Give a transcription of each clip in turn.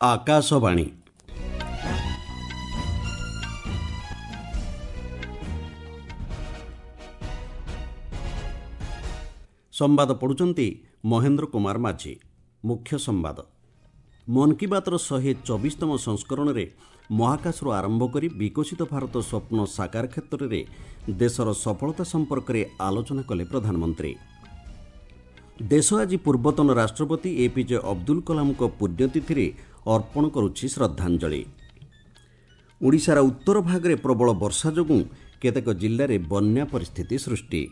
ଆକାଶବାଣୀ। ସମ୍ବାଦ ପଢ଼ୁଛନ୍ତି ମହେନ୍ଦ୍ର କୁମାର ମାଝୀ। ମୁଖ୍ୟ ସମ୍ବାଦ। ମନ୍ କି ବାତ୍ର 124ତମ ସଂସ୍କରଣରେ ମହାକାଶରୁ ଆରମ୍ଭ କରି ବିକଶିତ ଭାରତ ସ୍ୱପ୍ନ ସାକାର କ୍ଷେତ୍ରରେ ଦେଶର ସଫଳତା ସମ୍ପର୍କରେ ଆଲୋଚନା କଲେ ପ୍ରଧାନମନ୍ତ୍ରୀ। ଦେଶ ଆଜି ପୂର୍ବତନ ରାଷ୍ଟ୍ରପତି ଏପିଜେ ଅବଦୁଲ କଲାମଙ୍କ ପୁଣ୍ୟତିଥିରେ ଅର୍ପଣ କରୁଛି ଶ୍ରଦ୍ଧାଞ୍ଜଳି। ଓଡ଼ିଶାର ଉତ୍ତର ଭାଗରେ ପ୍ରବଳ ବର୍ଷା ଯୋଗୁଁ କେତେକ ଜିଲ୍ଲାରେ ବନ୍ୟା ପରିସ୍ଥିତି ସୃଷ୍ଟି।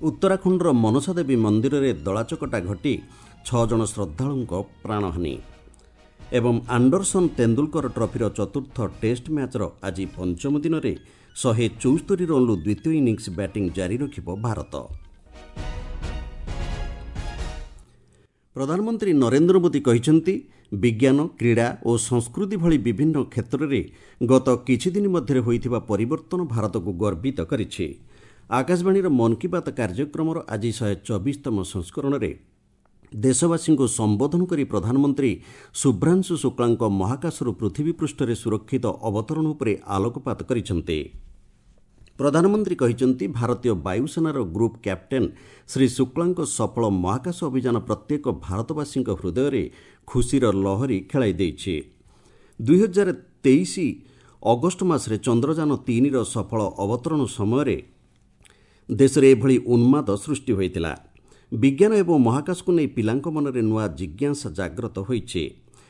ଉତ୍ତରାଖଣ୍ଡର ମନସାଦେବୀ ମନ୍ଦିରରେ ଦଳାଚକଟା ଘଟି 6 ଜଣ ଶ୍ରଦ୍ଧାଳୁଙ୍କ ପ୍ରାଣହାନି। ଏବଂ ଆଣ୍ଡରସନ୍ ତେନ୍ଦୁଲକର ଟ୍ରଫିର ଚତୁର୍ଥ ଟେଷ୍ଟ ମ୍ୟାଚ୍ର ଆଜି ପଞ୍ଚମ ଦିନରେ 174 ରନ୍ରୁ ଦ୍ୱିତୀୟ ଇନିଂସ ବ୍ୟାଟିଂ ଜାରି ରଖିବ ଭାରତ। ପ୍ରଧାନମନ୍ତ୍ରୀ ନରେନ୍ଦ୍ର ମୋଦି କହିଛନ୍ତି, ବିଜ୍ଞାନ, କ୍ରୀଡ଼ା ଓ ସଂସ୍କୃତି ଭଳି ବିଭିନ୍ନ କ୍ଷେତ୍ରରେ ଗତ କିଛିଦିନ ମଧ୍ୟରେ ହୋଇଥିବା ପରିବର୍ତ୍ତନ ଭାରତକୁ ଗର୍ବିତ କରିଛି। ଆକାଶବାଣୀର ମନ୍ କି ବାତ୍ କାର୍ଯ୍ୟକ୍ରମର ଆଜି 124ତମ ସଂସ୍କରଣରେ ଦେଶବାସୀଙ୍କୁ ସମ୍ବୋଧନ କରି ପ୍ରଧାନମନ୍ତ୍ରୀ ଶୁଭ୍ରାଂଶୁ ଶୁକ୍ଳାଙ୍କ ମହାକାଶରୁ ପୃଥିବୀ ପୃଷ୍ଠରେ ସୁରକ୍ଷିତ ଅବତରଣ ଉପରେ ଆଲୋକପାତ କରିଛନ୍ତି। ପ୍ରଧାନମନ୍ତ୍ରୀ କହିଛନ୍ତି, ଭାରତୀୟ ବାୟୁସେନାର ଗ୍ରୁପ୍ କ୍ୟାପ୍ଟେନ୍ ଶ୍ରୀ ଶୁକ୍ଳାଙ୍କ ସଫଳ ମହାକାଶ ଅଭିଯାନ ପ୍ରତ୍ୟେକ ଭାରତବାସୀଙ୍କ ହୃଦୟରେ ଖୁସିର ଲହରୀ ଖେଳାଇ ଦେଇଛି। 2023 ଅଗଷ୍ଟ ମାସରେ ଚନ୍ଦ୍ରଯାନ 3ର ସଫଳ ଅବତରଣ ସମୟରେ ଦେଶରେ ଏଭଳି ଉନ୍ମାଦ ସୃଷ୍ଟି ହୋଇଥିଲା। ବିଜ୍ଞାନ ଏବଂ ମହାକାଶକୁ ନେଇ ପିଲାଙ୍କ ମନରେ ନୂଆ ଜିଜ୍ଞାସା ଜାଗ୍ରତ ହୋଇଛି।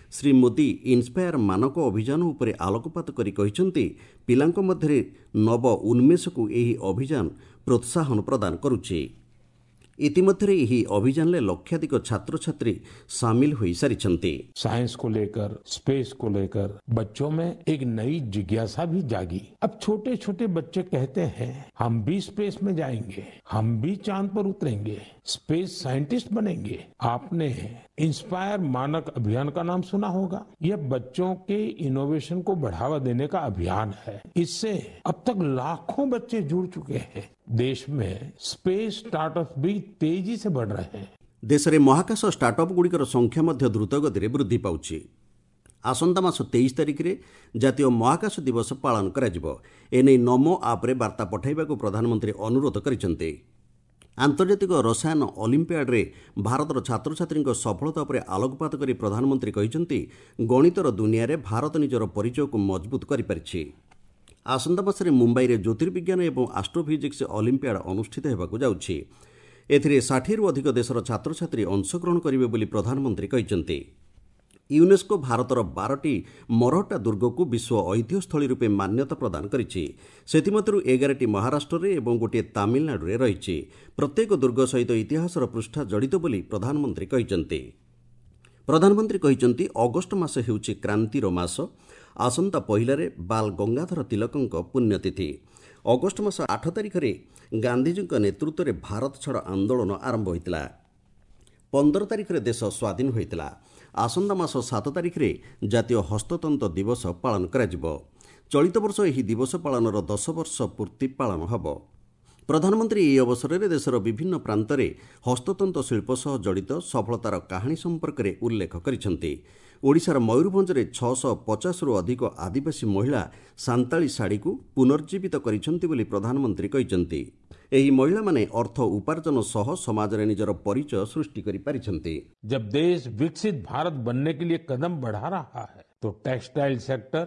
ଶ୍ରୀ ମୋଦି ଇନ୍ସପାୟାର ମାନକ ଅଭିଯାନ ଉପରେ ଆଲୋକପାତ କରି କହିଛନ୍ତି, ପିଲାଙ୍କ ମଧ୍ୟରେ ନବ ଉନ୍ମେଷକୁ ଏହି ଅଭିଯାନ ପ୍ରୋତ୍ସାହନ ପ୍ରଦାନ କରୁଛି। ଇତିମଧ୍ୟରେ ଏହି ଅଭିଯାନରେ ଲକ୍ଷାଧିକ ଛାତ୍ରଛାତ୍ରୀ ସାମିଲ ହୋଇସାରିଛନ୍ତି। साइंस को लेकर, स्पेस को लेकर बच्चों में एक नई जिज्ञासा भी जागी। अब छोटे छोटे बच्चे कहते हैं, हम भी स्पेस में जाएंगे, हम भी चांद पर उतरेंगे, स्पेस साइंटिस्ट बनेंगे। आपने इंस्पायर मानक अभियान का नाम सुना होगा। यह बच्चों के इनोवेशन को बढ़ावा देने का अभियान है। इससे अब तक लाखों बच्चे जुड़ चुके हैं। देश में स्पेस स्टार्टअप भी तेजी से बढ़ रहे हैं। ଦେଶରେ ମହାକାଶ ଷ୍ଟାର୍ଟଅପ୍ ଗୁଡ଼ିକର ସଂଖ୍ୟା ମଧ୍ୟ ଦ୍ରୁତଗତିରେ ବୃଦ୍ଧି ପାଉଛି। ଆସନ୍ତା ମାସ 23 ତାରିଖରେ ଜାତୀୟ ମହାକାଶ ଦିବସ ପାଳନ କରାଯିବ। ଏନେଇ ନମୋ ଆପ୍ରେ ବାର୍ତ୍ତା ପଠାଇବାକୁ ପ୍ରଧାନମନ୍ତ୍ରୀ ଅନୁରୋଧ କରିଛନ୍ତି। ଆନ୍ତର୍ଜାତିକ ରସାୟନ ଅଲିମ୍ପିଆଡ୍ରେ ଭାରତର ଛାତ୍ରଛାତ୍ରୀଙ୍କ ସଫଳତା ଉପରେ ଆଲୋକପାତ କରି ପ୍ରଧାନମନ୍ତ୍ରୀ କହିଛନ୍ତି, ଗଣିତର ଦୁନିଆରେ ଭାରତ ନିଜର ପରିଚୟକୁ ମଜବୁତ କରିପାରିଛି। ଆସନ୍ତା ମାସରେ ମୁମ୍ବାଇରେ ଜ୍ୟୋତିର୍ବିଜ୍ଞାନ ଏବଂ ଆଷ୍ଟ୍ରୋଫିଜିକ୍ସ ଅଲିମ୍ପିଆଡ୍ ଅନୁଷ୍ଠିତ ହେବାକୁ ଯାଉଛି। ଏଥିରେ 60ରୁ ଅଧିକ ଦେଶର ଛାତ୍ରଛାତ୍ରୀ ଅଂଶଗ୍ରହଣ କରିବେ ବୋଲି ପ୍ରଧାନମନ୍ତ୍ରୀ କହିଛନ୍ତି। ୟୁନେସ୍କୋ ଭାରତର 12ଟି ମରହଟ୍ଟା ଦୁର୍ଗକୁ ବିଶ୍ୱ ଐତିହ୍ୟସ୍ଥଳୀ ରୂପେ ମାନ୍ୟତା ପ୍ରଦାନ କରିଛି। ସେଥିମଧ୍ୟରୁ 11ଟି ମହାରାଷ୍ଟ୍ରରେ ଏବଂ ଗୋଟିଏ ତାମିଲନାଡୁରେ ରହିଛି। ପ୍ରତ୍ୟେକ ଦୁର୍ଗ ସହିତ ଇତିହାସର ପୃଷ୍ଠା ଜଡ଼ିତ ବୋଲି ପ୍ରଧାନମନ୍ତ୍ରୀ କହିଛନ୍ତି। ପ୍ରଧାନମନ୍ତ୍ରୀ କହିଛନ୍ତି, ଅଗଷ୍ଟ ମାସ ହେଉଛି କ୍ରାନ୍ତିର ମାସ। ଆସନ୍ତା ପହିଲାରେ ବାଲ ଗଙ୍ଗାଧର ତିଲକଙ୍କ ପୁଣ୍ୟତିଥି। ଅଗଷ୍ଟ ମାସ 8 ତାରିଖରେ ଗାନ୍ଧିଜୀଙ୍କ ନେତୃତ୍ୱରେ ଭାରତ ଛାଡ଼ ଆନ୍ଦୋଳନ ଆରମ୍ଭ ହୋଇଥିଲା। 15 ତାରିଖରେ ଦେଶ ସ୍ୱାଧୀନ ହୋଇଥିଲା। ଆସନ୍ତା ମାସ 7 ତାରିଖରେ ଜାତୀୟ ହସ୍ତତନ୍ତ ଦିବସ ପାଳନ କରାଯିବ। ଚଳିତ ବର୍ଷ ଏହି ଦିବସ ପାଳନର 10 ବର୍ଷ ପୂର୍ତ୍ତି ପାଳନ ହେବ। ପ୍ରଧାନମନ୍ତ୍ରୀ ଏହି ଅବସରରେ ଦେଶର ବିଭିନ୍ନ ପ୍ରାନ୍ତରେ ହସ୍ତତନ୍ତ ଶିଳ୍ପ ସହ ଜଡ଼ିତ ସଫଳତାର କାହାଣୀ ସମ୍ପର୍କରେ ଉଲ୍ଲେଖ କରିଛନ୍ତି। ଓଡ଼ିଶାର ମୟୂରଭଞ୍ଜରେ 650ରୁ ଅଧିକ ଆଦିବାସୀ ମହିଳା ସାନ୍ତାଳୀ ଶାଢ଼ୀକୁ ପୁନର୍ଜୀବିତ କରିଛନ୍ତି ବୋଲି ପ୍ରଧାନମନ୍ତ୍ରୀ କହିଛନ୍ତି। ଏହି ମହିଳାମାନେ ଅର୍ଥ ଉପାର୍ଜନ ସହ ସମାଜରେ ନିଜର ପରିଚୟ ସୃଷ୍ଟି କରିପାରିଛନ୍ତି। जब देश विकसित भारत बनने के लिए कदम बढ़ा रहा है, तो टेक्सटाइल सेक्टर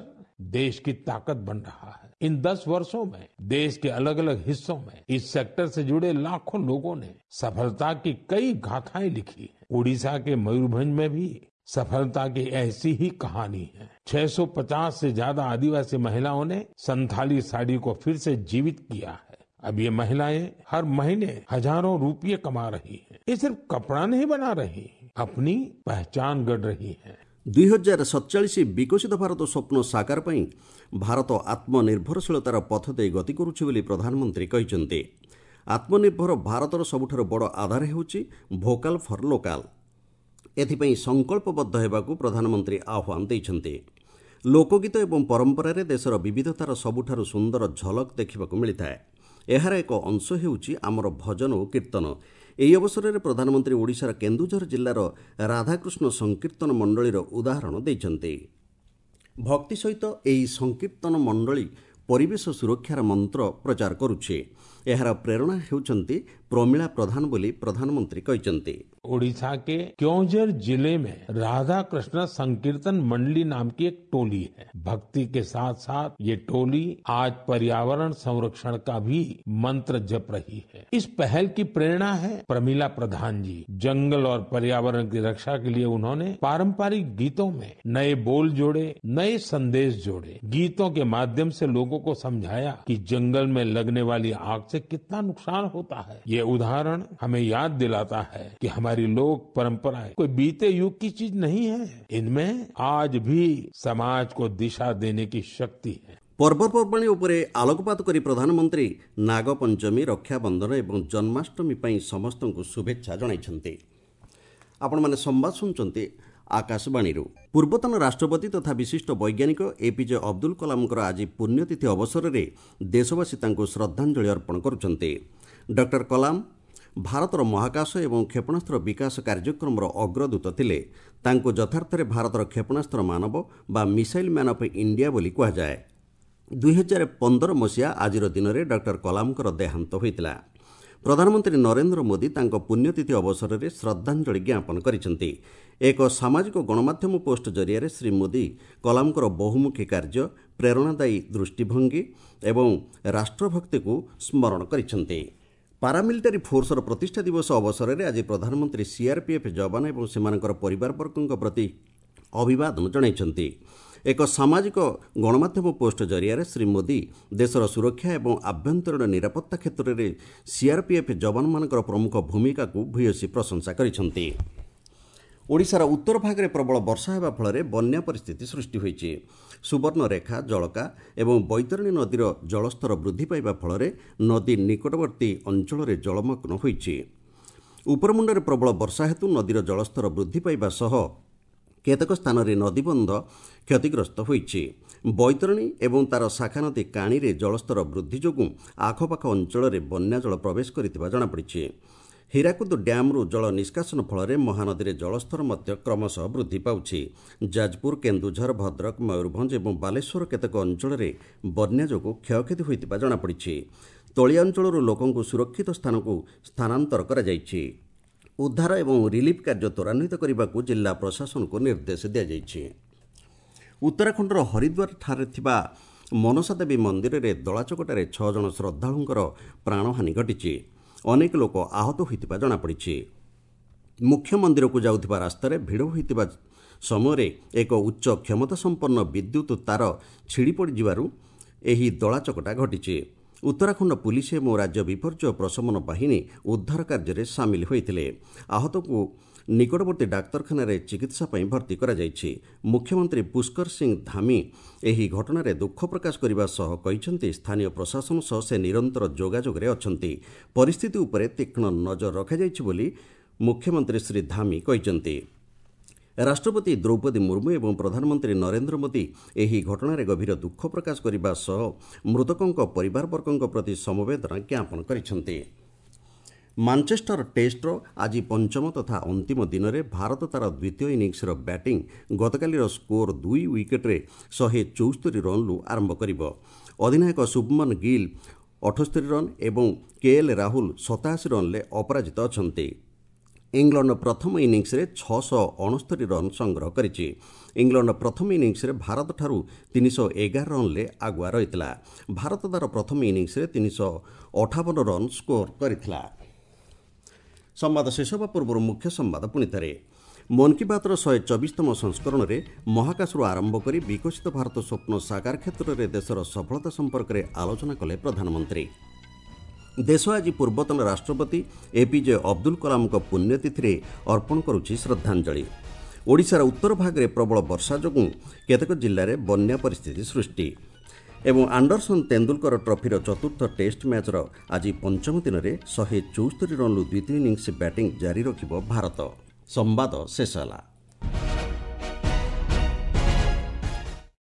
देश की ताकत बन रहा है। इन 10 वर्षों में देश के अलग अलग हिस्सों में इस सेक्टर से जुड़े लाखों लोगों ने सफलता की कई गाथाएं लिखी हैं। उड़ीसा के मयूरभंज में भी सफलता की ऐसी ही कहानी है। 650 से ज्यादा आदिवासी महिलाओं ने संथाली साड़ी को फिर से जीवित किया है। अब ये महिलाएं हर महीने हजारों रुपये कमा रही हैं। ये सिर्फ कपड़ा नहीं बना रही, अपनी पहचान गढ़ रही हैं। 2047 ବିକଶିତ ଭାରତ ସ୍ୱପ୍ନ ସାକାର ପାଇଁ ଭାରତ ଆତ୍ମନିର୍ଭରଶୀଳତାର ପଥ ଦେଇ ଗତି କରୁଛି ବୋଲି ପ୍ରଧାନମନ୍ତ୍ରୀ କହିଛନ୍ତି। ଆତ୍ମନିର୍ଭର ଭାରତର ସବୁଠାରୁ ବଡ଼ ଆଧାର ହେଉଛି ଭୋକାଲ୍ ଫର୍ ଲୋକାଲ୍। ଏଥିପାଇଁ ସଂକଳ୍ପବଦ୍ଧ ହେବାକୁ ପ୍ରଧାନମନ୍ତ୍ରୀ ଆହ୍ୱାନ ଦେଇଛନ୍ତି। ଲୋକଗୀତ ଏବଂ ପରମ୍ପରାରେ ଦେଶର ବିବିଧତାର ସବୁଠାରୁ ସୁନ୍ଦର ଝଲକ ଦେଖିବାକୁ ମିଳିଥାଏ। ଏହାର ଏକ ଅଂଶ ହେଉଛି ଆମର ଭଜନ ଓ କୀର୍ତ୍ତନ। ଏହି ଅବସରରେ ପ୍ରଧାନମନ୍ତ୍ରୀ ଓଡ଼ିଶାର କେନ୍ଦୁଝର ଜିଲ୍ଲାର ରାଧାକୃଷ୍ଣ ସଂକୀର୍ତ୍ତନ ମଣ୍ଡଳୀର ଉଦାହରଣ ଦେଇଛନ୍ତି। ଭକ୍ତି ସହିତ ଏହି ସଂକୀର୍ତ୍ତନ ମଣ୍ଡଳୀ ପରିବେଶ ସୁରକ୍ଷାର ମନ୍ତ୍ର ପ୍ରଚାର କରୁଛି। ଏହାର ପ୍ରେରଣା ହେଉଛନ୍ତି ପ୍ରମିଳା ପ୍ରଧାନ ବୋଲି ପ୍ରଧାନମନ୍ତ୍ରୀ କହିଛନ୍ତି। ओडिशा के क्योंझर जिले में राधा कृष्ण संकीर्तन मंडली नाम की एक टोली है। भक्ति के साथ साथ ये टोली आज पर्यावरण संरक्षण का भी मंत्र जप रही है। इस पहल की प्रेरणा है प्रमिला प्रधान जी। जंगल और पर्यावरण की रक्षा के लिए उन्होंने पारंपरिक गीतों में नए बोल जोड़े, नए संदेश जोड़े। गीतों के माध्यम से लोगों को समझाया कि जंगल में लगने वाली आग से कितना नुकसान होता है। ये उदाहरण हमें याद दिलाता है कि हमारी लोक परंपराएं कोई बीते युग की चीज नहीं है, इनमें आज भी समाज को दिशा देने की शक्ति है। ପର୍ବପର୍ବାଣୀ ଉପରେ ଆଲୋକପାତ କରି ପ୍ରଧାନମନ୍ତ୍ରୀ ନାଗପଞ୍ଚମୀ, ରକ୍ଷାବନ୍ଧନ ଏବଂ ଜନ୍ମାଷ୍ଟମୀ ପାଇଁ ସମସ୍ତଙ୍କୁ ଶୁଭେଚ୍ଛା ଜଣାଇଛନ୍ତି। ଆପଣମାନେ ସମ୍ବାଦ ଶୁଣୁଛନ୍ତି ଆକାଶବାଣୀରୁ। ପୂର୍ବତନ ରାଷ୍ଟ୍ରପତି ତଥା ବିଶିଷ୍ଟ ବୈଜ୍ଞାନିକ ଏପିଜେ ଅବଦୁଲ କଲାମଙ୍କର ଆଜି ପୁଣ୍ୟତିଥି ଅବସରରେ ଦେଶବାସୀ ତାଙ୍କୁ ଶ୍ରଦ୍ଧାଞ୍ଜଳି ଅର୍ପଣ କରୁଛନ୍ତି। ଡକ୍ଟର କଲାମ ଭାରତର ମହାକାଶ ଏବଂ କ୍ଷେପଣାସ୍ତ୍ର ବିକାଶ କାର୍ଯ୍ୟକ୍ରମର ଅଗ୍ରଦୂତ ଥିଲେ। ତାଙ୍କୁ ଯଥାର୍ଥରେ ଭାରତର କ୍ଷେପଣାସ୍ତ୍ର ମାନବ ବା ମିସାଇଲ୍ ମ୍ୟାନ୍ ଅଫ୍ ଇଣ୍ଡିଆ ବୋଲି କୁହାଯାଏ। 2015 ମସିହା ଆଜିର ଦିନରେ ଡକ୍ଟର କଲାମଙ୍କର ଦେହାନ୍ତ ହୋଇଥିଲା। ପ୍ରଧାନମନ୍ତ୍ରୀ ନରେନ୍ଦ୍ର ମୋଦି ତାଙ୍କ ପୁଣ୍ୟତିଥି ଅବସରରେ ଶ୍ରଦ୍ଧାଞ୍ଜଳି ଜ୍ଞାପନ କରିଛନ୍ତି। ଏକ ସାମାଜିକ ଗଣମାଧ୍ୟମ ପୋଷ୍ଟ ଜରିଆରେ ଶ୍ରୀ ମୋଦି କଲାମଙ୍କର ବହୁମୁଖୀ କାର୍ଯ୍ୟ, ପ୍ରେରଣାଦାୟୀ ଦୃଷ୍ଟିଭଙ୍ଗୀ ଏବଂ ରାଷ୍ଟ୍ରଭକ୍ତିକୁ ସ୍ମରଣ କରିଛନ୍ତି। ପାରାମିଲିଟାରୀ ଫୋର୍ସର ପ୍ରତିଷ୍ଠା ଦିବସ ଅବସରରେ ଆଜି ପ୍ରଧାନମନ୍ତ୍ରୀ ସିଆର୍ପିଏଫ୍ ଯବାନ ଏବଂ ସେମାନଙ୍କର ପରିବାରବର୍ଗଙ୍କ ପ୍ରତି ଅଭିବାଦନ ଜଣାଇଛନ୍ତି। ଏକ ସାମାଜିକ ଗଣମାଧ୍ୟମ ପୋଷ୍ଟ ଜରିଆରେ ଶ୍ରୀ ମୋଦି ଦେଶର ସୁରକ୍ଷା ଏବଂ ଆଭ୍ୟନ୍ତରୀଣ ନିରାପତ୍ତା କ୍ଷେତ୍ରରେ ସିଆର୍ପିଏଫ୍ ଯବାନମାନଙ୍କର ପ୍ରମୁଖ ଭୂମିକାକୁ ଭୂୟସୀ ପ୍ରଶଂସା କରିଛନ୍ତି। ଓଡ଼ିଶାର ଉତ୍ତର ଭାଗରେ ପ୍ରବଳ ବର୍ଷା ହେବା ଫଳରେ ବନ୍ୟା ପରିସ୍ଥିତି ସୃଷ୍ଟି ହୋଇଛି। ସୁବର୍ଣ୍ଣରେଖା, ଜଳକା ଏବଂ ବୈତରଣୀ ନଦୀର ଜଳସ୍ତର ବୃଦ୍ଧି ପାଇବା ଫଳରେ ନଦୀ ନିକଟବର୍ତ୍ତୀ ଅଞ୍ଚଳରେ ଜଳମଗ୍ନ ହୋଇଛି। ଉପରମୁଣ୍ଡରେ ପ୍ରବଳ ବର୍ଷା ହେତୁ ନଦୀର ଜଳସ୍ତର ବୃଦ୍ଧି ପାଇବା ସହ କେତେକ ସ୍ଥାନରେ ନଦୀବନ୍ଧ କ୍ଷତିଗ୍ରସ୍ତ ହୋଇଛି। ବୈତରଣୀ ଏବଂ ତା'ର ଶାଖା ନଦୀ କାଣିରେ ଜଳସ୍ତର ବୃଦ୍ଧି ଯୋଗୁଁ ଆଖପାଖ ଅଞ୍ଚଳରେ ବନ୍ୟାଜଳ ପ୍ରବେଶ କରିଥିବା ଜଣାପଡ଼ିଛି। ହୀରାକୁଦ ଡ୍ୟାମ୍ରୁ ଜଳ ନିଷ୍କାସନ ଫଳରେ ମହାନଦୀରେ ଜଳସ୍ତର ମଧ୍ୟ କ୍ରମଶଃ ବୃଦ୍ଧି ପାଉଛି। ଯାଜପୁର, କେନ୍ଦୁଝର, ଭଦ୍ରକ, ମୟୂରଭଞ୍ଜ ଏବଂ ବାଲେଶ୍ୱର କେତେକ ଅଞ୍ଚଳରେ ବନ୍ୟା ଯୋଗୁଁ କ୍ଷୟକ୍ଷତି ହୋଇଥିବା ଜଣାପଡ଼ିଛି। ତଳିଆ ଅଞ୍ଚଳରୁ ଲୋକଙ୍କୁ ସୁରକ୍ଷିତ ସ୍ଥାନକୁ ସ୍ଥାନାନ୍ତର କରାଯାଇଛି। ଉଦ୍ଧାର ଏବଂ ରିଲିଫ୍ କାର୍ଯ୍ୟ ତ୍ୱରାନ୍ୱିତ କରିବାକୁ ଜିଲ୍ଲା ପ୍ରଶାସନକୁ ନିର୍ଦ୍ଦେଶ ଦିଆଯାଇଛି। ଉତ୍ତରାଖଣ୍ଡର ହରିଦ୍ୱାରଠାରେ ଥିବା ମନସା ଦେବୀ ମନ୍ଦିରରେ ଦଳାଚକଟାରେ 6 ଜଣ ଶ୍ରଦ୍ଧାଳୁଙ୍କର ପ୍ରାଣହାନି ଘଟିଛି। ଅନେକ ଲୋକ ଆହତ ହୋଇଥିବା ଜଣାପଡ଼ିଛି। ମୁଖ୍ୟ ମନ୍ଦିରକୁ ଯାଉଥିବା ରାସ୍ତାରେ ଭିଡ଼ ହୋଇଥିବା ସମୟରେ ଏକ ଉଚ୍ଚ କ୍ଷମତାସମ୍ପନ୍ନ ବିଦ୍ୟୁତ୍ ତାର ଛିଡ଼ି ପଡ଼ିଯିବାରୁ ଏହି ଦଳାଚକଟା ଘଟିଛି। ଉତ୍ତରାଖଣ୍ଡ ପୁଲିସ ଏବଂ ରାଜ୍ୟ ବିପର୍ଯ୍ୟୟ ପ୍ରଶମନ ବାହିନୀ ଉଦ୍ଧାର କାର୍ଯ୍ୟରେ ସାମିଲ ହୋଇଥିଲେ। ଆହତଙ୍କୁ ନିକଟବର୍ତ୍ତୀ ଡାକ୍ତରଖାନାରେ ଚିକିତ୍ସା ପାଇଁ ଭର୍ତ୍ତି କରାଯାଇଛି। ମୁଖ୍ୟମନ୍ତ୍ରୀ ପୁଷ୍କର ସିଂ ଧାମି ଏହି ଘଟଣାରେ ଦୁଃଖ ପ୍ରକାଶ କରିବା ସହ କହିଛନ୍ତି, ସ୍ଥାନୀୟ ପ୍ରଶାସନ ସହ ସେ ନିରନ୍ତର ଯୋଗାଯୋଗରେ ଅଛନ୍ତି। ପରିସ୍ଥିତି ଉପରେ ତୀକ୍ଷ୍ଣ ନଜର ରଖାଯାଇଛି ବୋଲି ମୁଖ୍ୟମନ୍ତ୍ରୀ ଶ୍ରୀ ଧାମି କହିଛନ୍ତି। ରାଷ୍ଟ୍ରପତି ଦ୍ରୌପଦୀ ମୁର୍ମୁ ଏବଂ ପ୍ରଧାନମନ୍ତ୍ରୀ ନରେନ୍ଦ୍ର ମୋଦି ଏହି ଘଟଣାରେ ଗଭୀର ଦୁଃଖ ପ୍ରକାଶ କରିବା ସହ ମୃତକଙ୍କ ପରିବାରବର୍ଗଙ୍କ ପ୍ରତି ସମବେଦନା ଜ୍ଞାପନ କରିଛନ୍ତି। ମାଞ୍ଚେଷ୍ଟର ଟେଷ୍ଟର ଆଜି ପଞ୍ଚମ ତଥା ଅନ୍ତିମ ଦିନରେ ଭାରତ ତା'ର ଦ୍ୱିତୀୟ ଇନିଂସର ବ୍ୟାଟିଂ ଗତକାଲିର ସ୍କୋର 2 ୱିକେଟ୍ରେ 174 ରନ୍ରୁ ଆରମ୍ଭ କରିବ। ଅଧିନାୟକ ଶୁଭମନ ଗିଲ୍ 78 ରନ୍ ଏବଂ କେଏଲ୍ ରାହୁଲ 87 ରନ୍ରେ ଅପରାଜିତ ଅଛନ୍ତି। ଇଂଲଣ୍ଡ ପ୍ରଥମ ଇନିଂସରେ 669 ରନ୍ ସଂଗ୍ରହ କରିଛି। ଇଂଲଣ୍ଡ ପ୍ରଥମ ଇନିଂସରେ ଭାରତଠାରୁ 311 ରନ୍ରେ ଆଗୁଆ ରହିଥିଲା। ଭାରତ ତା'ର ପ୍ରଥମ ଇନିଂସରେ 358 ରନ୍ ସ୍କୋର କରିଥିଲା। ସମ୍ବାଦ ଶେଷ ହେବା ପୂର୍ବରୁ ମୁଖ୍ୟ ସମ୍ବାଦ ପୁଣିଥରେ। ମନ୍ କି ବାତ୍ର 124ତମ ସଂସ୍କରଣରେ ମହାକାଶରୁ ଆରମ୍ଭ କରି ବିକଶିତ ଭାରତ ସ୍ୱପ୍ନ ସାକାର କ୍ଷେତ୍ରରେ ଦେଶର ସଫଳତା ସମ୍ପର୍କରେ ଆଲୋଚନା କଲେ ପ୍ରଧାନମନ୍ତ୍ରୀ। ଦେଶ ଆଜି ପୂର୍ବତନ ରାଷ୍ଟ୍ରପତି ଏପିଜେ ଅବଦୁଲ କଲାମଙ୍କ ପୁଣ୍ୟତିଥିରେ ଅର୍ପଣ କରୁଛି ଶ୍ରଦ୍ଧାଞ୍ଜଳି। ଓଡ଼ିଶାର ଉତ୍ତର ଭାଗରେ ପ୍ରବଳ ବର୍ଷା ଯୋଗୁଁ କେତେକ ଜିଲ୍ଲାରେ ବନ୍ୟା ପରିସ୍ଥିତି ସୃଷ୍ଟି। ଏବଂ ଆଣ୍ଡରସନ୍ ତେନ୍ଦୁଲକର ଟ୍ରଫିର ଚତୁର୍ଥ ଟେଷ୍ଟ ମ୍ୟାଚ୍ର ଆଜି ପଞ୍ଚମ ଦିନରେ 174 ରନ୍ରୁ ଦ୍ୱିତୀୟ ଇନିଂସ ବ୍ୟାଟିଂ ଜାରି ରଖିବ ଭାରତ। ସମ୍ବାଦ ଶେଷ ହେଲା।